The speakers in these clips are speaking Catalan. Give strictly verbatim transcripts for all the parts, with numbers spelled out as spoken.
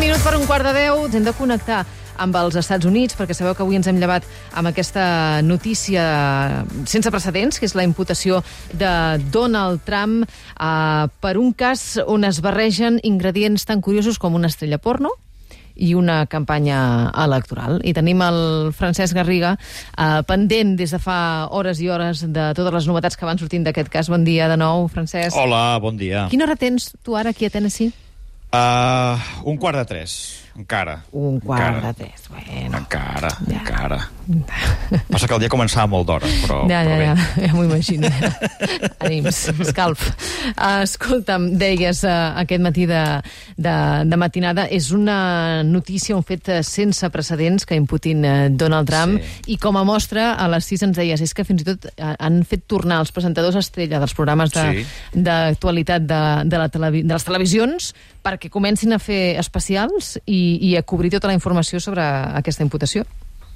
minut per un quart de deu, ens hem de connectar amb els Estats Units, perquè sabeu que avui ens hem llevat amb aquesta notícia sense precedents, que és la imputació de Donald Trump eh, per un cas on es barregen ingredients tan curiosos com una estrella porno i una campanya electoral. I tenim el Francesc Garriga eh, pendent des de fa hores i hores de totes les novetats que van sortint d'aquest cas. Bon dia de nou, Francesc. Hola, bon dia. Quina hora tens tu ara aquí a Tennessee? Uh, un quart de tres, encara. Un quart encara. de tres, bueno. Encara, ja. encara. Passa que el dia començava molt d'hora, però, ja, però ja, bé. Ja, ja m'ho imagino. Ànims, escalf. Uh, escolta'm, deies uh, aquest matí de, de, de matinada, és una notícia, un fet sense precedents que imputin uh, Donald Trump, sí. I com a mostra, a les sis ens deies, és que fins i tot uh, han fet tornar els presentadors estrella dels programes d'actualitat de, de, de, la televi de les televisions perquè comencin a fer especials i, i a cobrir tota la informació sobre aquesta imputació.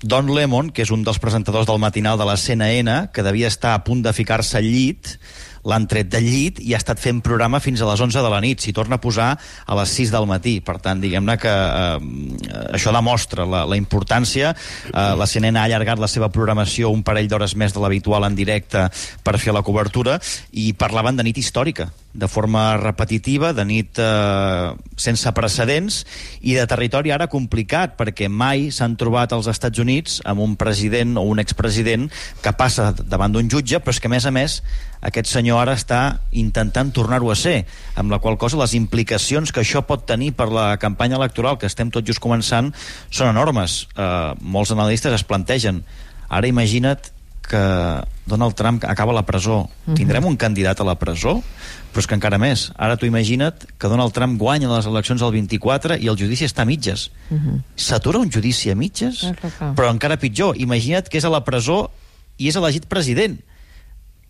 Don Lemon, que és un dels presentadors del matinal de la C N N, que devia estar a punt de ficar-se al llit, l'han tret del llit i ha estat fent programa fins a les onze de la nit. S'hi torna a posar a les sis del matí. Per tant, diguem-ne que eh, això demostra la, la importància. Eh, la C N N ha allargat la seva programació un parell d'hores més de l'habitual en directe per fer la cobertura i parlaven de nit històrica, de forma repetitiva, de nit eh, sense precedents i de territori ara complicat, perquè mai s'han trobat als Estats Units amb un president o un expresident que passa davant d'un jutge, però és que, a més a més, aquest senyor ara està intentant tornar-ho a ser, amb la qual cosa les implicacions que això pot tenir per la campanya electoral, que estem tot just començant, són enormes. Eh, molts analistes es plantegen, ara imagina't que Donald Trump acaba a la presó. Uh-huh. Tindrem un candidat a la presó? Però és que encara més. Ara tu imagina't que Donald Trump guanya les eleccions del vint-i-quatre i el judici està a mitges. Uh-huh. S'atura un judici a mitges? Uh-huh. Però encara pitjor, imagina't que és a la presó i és elegit president.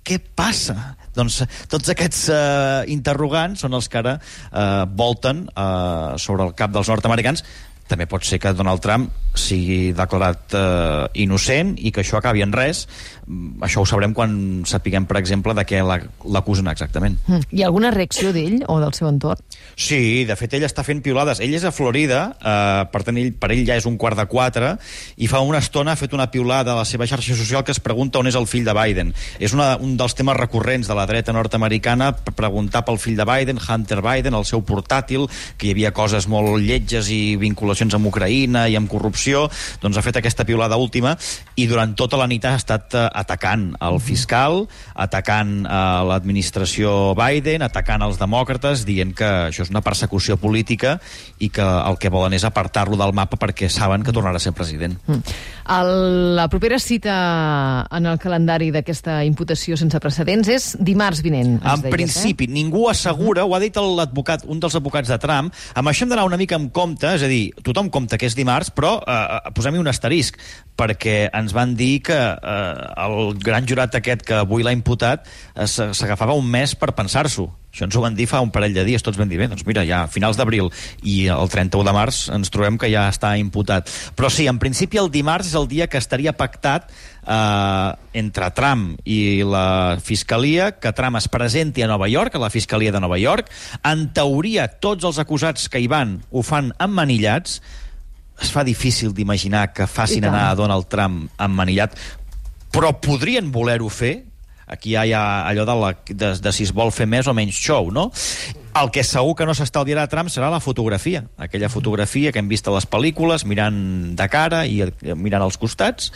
Què passa? Doncs tots aquests uh, interrogants són els que ara uh, volten uh, sobre el cap dels nord-americans. També pot ser que Donald Trump sigui declarat eh, innocent i que això acabi en res. Això ho sabrem quan sapiguem, per exemple, de què l'acusen exactament. Mm. Hi ha alguna reacció d'ell o del seu entorn? Sí, de fet ell està fent piulades. Ell és a Florida, eh, per tant ell, per ell ja és un quart de quatre, i fa una estona ha fet una piulada a la seva xarxa social que es pregunta on és el fill de Biden. És una, un dels temes recurrents de la dreta nord-americana, preguntar pel fill de Biden, Hunter Biden, el seu portàtil, que hi havia coses molt lletges i vinculacions amb Ucraïna i amb corrupció. Doncs ha fet aquesta piulada última i durant tota la nit ha estat eh, atacant el fiscal, atacant eh, l'administració Biden, atacant els demòcrates, dient que això és una persecució política i que el que volen és apartar-lo del mapa perquè saben que tornarà a ser president. Mm. El, la propera cita en el calendari d'aquesta imputació sense precedents és dimarts vinent. En deies, principi, eh? Ningú assegura, ho ha dit l'advocat, un dels advocats de Trump, amb això hem d'anar una mica amb compte, és a dir, tothom compta que és dimarts, però eh, posem-hi un asterisc, perquè ens van dir que eh, el gran jurat aquest que avui l'ha imputat eh, s'agafava un mes per pensar-s'ho. Això ens ho van dir fa un parell de dies, tots vam dir, bé, doncs mira, ja a finals d'abril i el trenta-u de març ens trobem que ja està imputat. Però sí, en principi el dimarts és el dia que estaria pactat eh, entre Trump i la Fiscalia, que Trump es presenti a Nova York, a la Fiscalia de Nova York. En teoria, tots els acusats que hi van ho fan emmanillats. Es fa difícil d'imaginar que facin anar a Donald Trump emmanillat, però podrien voler-ho fer. Aquí hi ha allò de, la, de, de si es vol fer més o menys show, no? El que segur que no s'estalviarà Trump serà la fotografia. Aquella fotografia que hem vist a les pel·lícules, mirant de cara i mirant als costats,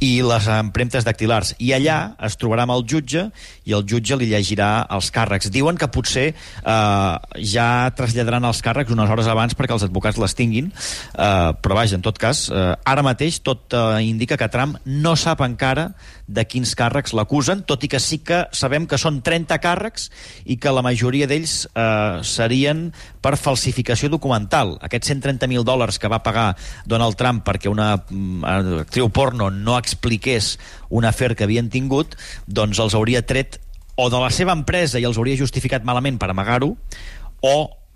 i les empremtes dactilars. I allà es trobarà amb el jutge i el jutge li llegirà els càrrecs. Diuen que potser eh, ja traslladaran els càrrecs unes hores abans perquè els advocats les tinguin, eh, però vaja, en tot cas, eh, ara mateix tot eh, indica que Trump no sap encara de quins càrrecs l'acusen, tot i que sí que sabem que són trenta càrrecs i que la majoria d'ells eh, serien per falsificació documental. Aquests cent trenta mil dòlars que va pagar Donald Trump perquè una uh, actriu porno no expliqués un afer que havien tingut, doncs els hauria tret o de la seva empresa i els hauria justificat malament per amagar-ho, o,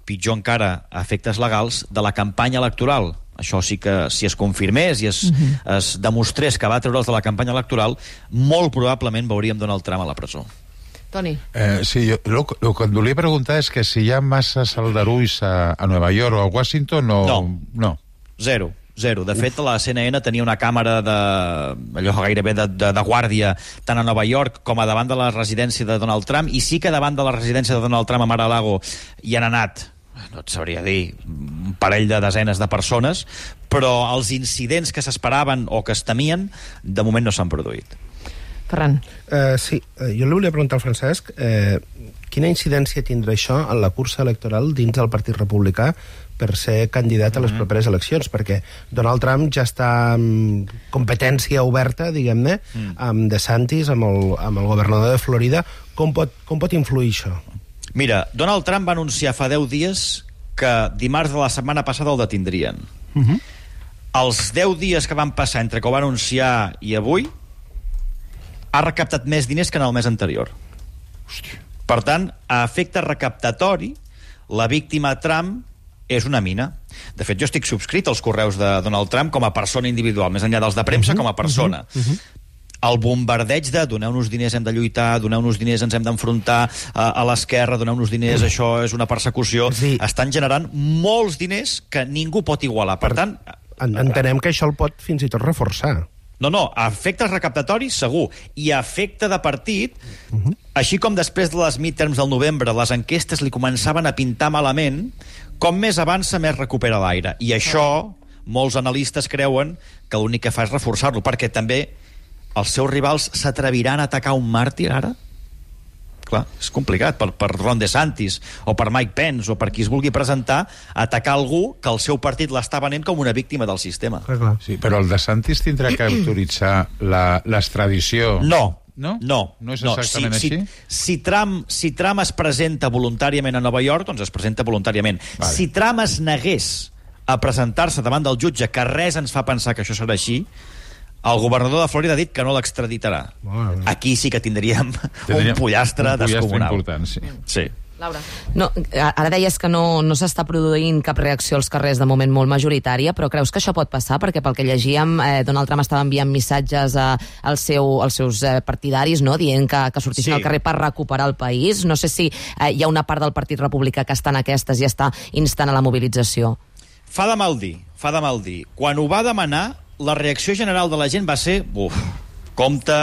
pitjor encara, a efectes legals, de la campanya electoral. Això sí que, si es confirmés i es, uh-huh. es demostrés que va treure'ls de la campanya electoral, molt probablement veuríem Donald Trump a la presó. Toni. Eh, sí, jo, el que et volia preguntar és que si hi ha masses aldarulls a, a Nova York o a Washington o... No. No. Zero. Zero. De fet, la C N N tenia una càmera de, allò gairebé de, de, de guàrdia tant a Nova York com a davant de la residència de Donald Trump, i sí que davant de la residència de Donald Trump a Mar-a-Lago hi han anat, no et sabria dir, un parell de desenes de persones, però els incidents que s'esperaven o que es temien, de moment no s'han produït. Ferran. Uh, sí, uh, jo li volia preguntar al Francesc uh, quina incidència tindrà això en la cursa electoral dins del Partit Republicà per ser candidat a les properes eleccions, perquè Donald Trump ja està amb competència oberta, diguem-ne, mm. amb DeSantis, amb el, amb el governador de Florida. Com pot, com pot influir això? Mira, Donald Trump va anunciar fa deu dies que dimarts de la setmana passada el detindrien. Uh-huh. Els deu dies que van passar entre que ho va anunciar i avui, ha recaptat més diners que en el mes anterior. Hòstia. Per tant, a efecte recaptatori, la víctima Trump és una mina. De fet, jo estic subscrit als correus de Donald Trump com a persona individual, més enllà dels de premsa, uh-huh, com a persona. Uh-huh, uh-huh. El bombardeig de doneu-nos diners, hem de lluitar, doneu-nos diners, ens hem d'enfrontar a, a l'esquerra, doneu-nos diners, uh-huh. això és una persecució, sí. Estan generant molts diners que ningú pot igualar. Per, per tant... Entenem que això el pot fins i tot reforçar. No, no, a efectes recaptatoris, segur. I a efecte de partit, uh-huh. així com després de les midterms del novembre les enquestes li començaven a pintar malament, com més avança, més recupera l'aire. I això, molts analistes creuen que l'únic que fa és reforçar-lo, perquè també els seus rivals s'atreviran a atacar un màrtir, ara? Clar, és complicat, per, per Ron DeSantis, o per Mike Pence, o per qui es vulgui presentar, atacar algú que el seu partit l'està venent com una víctima del sistema. Sí, però el DeSantis tindrà que autoritzar l'extradició... No, no, no. No és exactament no. Si, així? Si, si, Trump, si Trump es presenta voluntàriament a Nova York, doncs es presenta voluntàriament. Vale. Si Trump es negués a presentar-se davant del jutge, que res ens fa pensar que això serà així, el governador de Florida ha dit que no l'extraditarà. Bueno, aquí sí que tindríem, tindríem un pollastre, un pollastre descomunal. Important, sí. Sí. Laura. No, ara deies que no, no s'està produint cap reacció als carrers de moment molt majoritària, però creus que això pot passar? Perquè pel que llegíem, eh, Donald Trump estava enviant missatges a, al seu, als seus eh, partidaris, no?, dient que, que sortissin sí. al carrer per recuperar el país. No sé si eh, hi ha una part del Partit Republicà que està en aquestes i està instant a la mobilització. Fa de mal dir, fa de mal dir. Quan ho va demanar, la reacció general de la gent va ser uf, compte,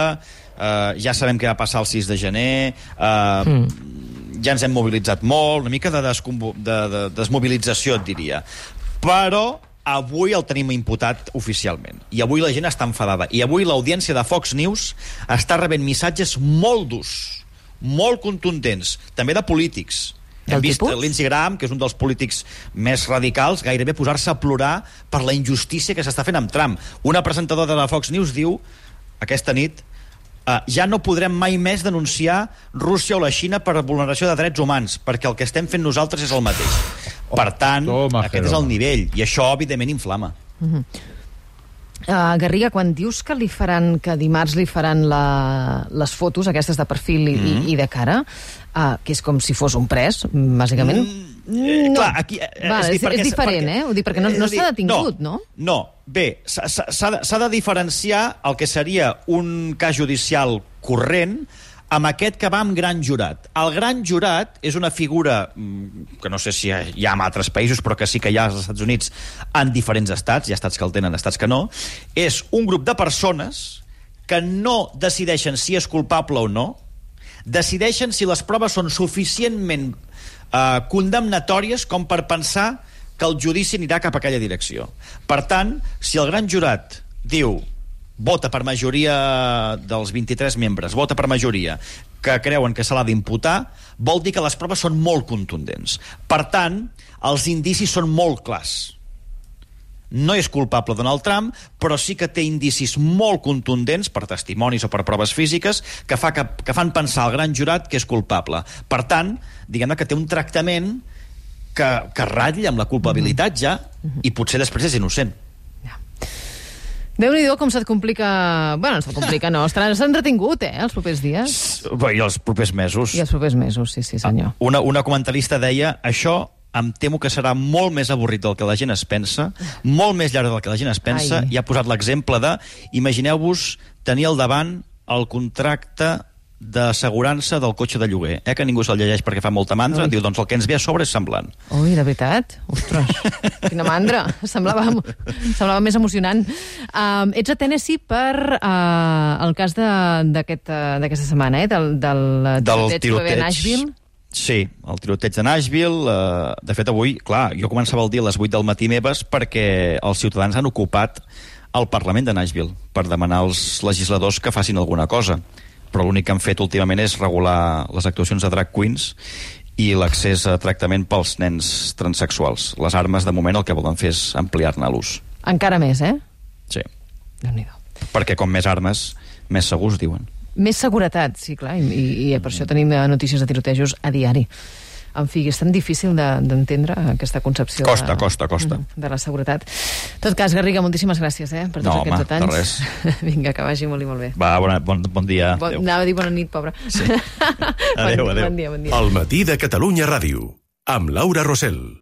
eh, ja sabem què va passar el sis de gener, eh, mm. ja ens hem mobilitzat molt, una mica de, de, de desmobilització, et diria. Però avui el tenim imputat oficialment. I avui la gent està enfadada. I avui l'audiència de Fox News està rebent missatges molt durs, molt contundents, també de polítics. Hem vist Lindsey Graham, que és un dels polítics més radicals, gairebé posar-se a plorar per la injustícia que s'està fent amb Trump. Una presentadora de Fox News diu, aquesta nit, uh, ja no podrem mai més denunciar Rússia o la Xina per vulneració de drets humans, perquè el que estem fent nosaltres és el mateix. Per tant, Toma, aquest és el nivell, i això, evidentment, inflama. Uh-huh. Uh, Garriga, quan dius que li faran, que dimarts li faran la, les fotos, aquestes de perfil i, mm-hmm. i, i de cara, uh, que és com si fos un pres, bàsicament... Mm, eh, no. Clar, aquí... Eh, Va, és, és, és diferent, perquè, eh? Ho dic perquè no, no s'ha detingut, no? No, no. Bé, s'ha de, de diferenciar el que seria un cas judicial corrent amb aquest que va amb gran jurat. El gran jurat és una figura que no sé si hi ha en altres països, però que sí que hi ha als Estats Units en diferents estats, hi ha estats que el tenen, estats que no. És un grup de persones que no decideixen si és culpable o no, decideixen si les proves són suficientment eh, condemnatòries com per pensar que el judici anirà cap a aquella direcció. Per tant, si el gran jurat diu vota per majoria dels vint-i-tres membres, vota per majoria, que creuen que se l'ha d'imputar, vol dir que les proves són molt contundents. Per tant, els indicis són molt clars. No és culpable Donald Trump, però sí que té indicis molt contundents, per testimonis o per proves físiques, que, fa que, que fan pensar al gran jurat que és culpable. Per tant, diguem-ne que té un tractament que, que ratlla amb la culpabilitat ja, i potser després és innocent. Déu-n'hi-do com se't complica... Bueno, no se't complica, no. Estaràs entretingut, eh, els propers dies. Bé, i els propers mesos. I els propers mesos, sí, sí, senyor. Una, una comentarista deia, això em temo que serà molt més avorrit del que la gent es pensa, molt més llarg del que la gent es pensa, Ai. i ha posat l'exemple de, imagineu-vos tenir al davant el contracte d'assegurança del cotxe de lloguer, eh? que ningú se'l llegeix perquè fa molta mandra. Ui. Diu, doncs el que ens ve a sobre és semblant. Ui, de veritat? Ostres, quina mandra. Semblava, semblava més emocionant. Um, ets a Tennessee per uh, el cas d'aquesta aquest, uh, setmana, eh? del, del, Del tiroteig, tiroteig a Nashville. Sí, el tiroteig de Nashville. Eh, de fet, avui, clar, jo començava el dia a les vuit del matí meves perquè els ciutadans han ocupat el Parlament de Nashville per demanar als legisladors que facin alguna cosa. Però l'únic que han fet últimament és regular les actuacions de drag queens i l'accés a tractament pels nens transsexuals. Les armes, de moment, el que volen fer és ampliar-ne l'ús. Encara més, eh? Sí. Déu-n'hi-do. Perquè com més armes, més segurs, diuen. Més seguretat, sí, clar, i, i per això tenim notícies de tirotejos a diari. En fi, és tan difícil d'entendre de, aquesta concepció costa, de, costa, costa. de la seguretat. En tot cas, Garriga, moltíssimes gràcies eh, per tots no, aquests home, anys. Vinga, que vagi molt i molt bé. Va, bona, bon, bon dia. Bon, anava a dir bona nit, pobra. Sí. Adéu, bon, adéu. Bon dia, bon dia. El matí de Catalunya Ràdio, amb Laura Rosell.